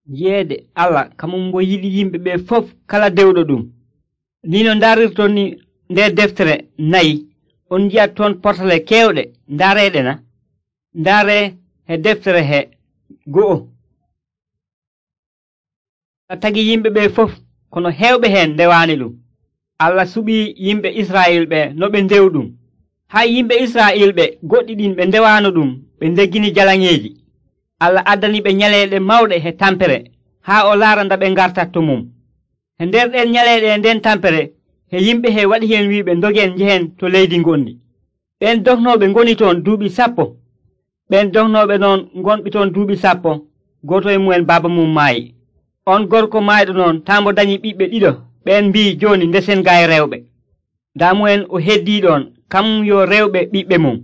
yeede Allah kamum mbo yiɗi yimɓe ɓe fof kala dewɗo ɗum. Ni no ndarirton ni nder deftere 4 on ji'at toon portale kewɗe ndaareeɗe na. Ndaare he deftere he 2. Tagi yimɓe ɓe fof kono hewɓe hen ndewaani ɗum. Allah suɓii yimɓe Israyil ɓe no ɓe ndew ɗum. Hay yimɓe Israyil ɓe goɗɗi ɗin ɓe ndewaano ɗum ɓe ndegini jalaŋeeji. Allah addani ɓe nyaleeɗe mawɗe he tampere haa o laara nda ɓe ngartat to mum. He nder ɗen nyaleeɗe e nden tampere he yimɓe he waɗi hen wiiɓe ndogen njehen to leydi ngondi. Ɓen dognooɓe ngoni toon duuɓi 10. Ɓen dognooɓe noon ngonɓe toon duuɓi 10, gooto e mumen baaba mum maayi. On gorko maayɗo noon taambo dañi ɓiɓɓe 2. Ɓen mbii jooni ndesen gaay rewɓe. Daamu'en o heddii ɗon kamum yo rewɓe ɓiɓɓe mum.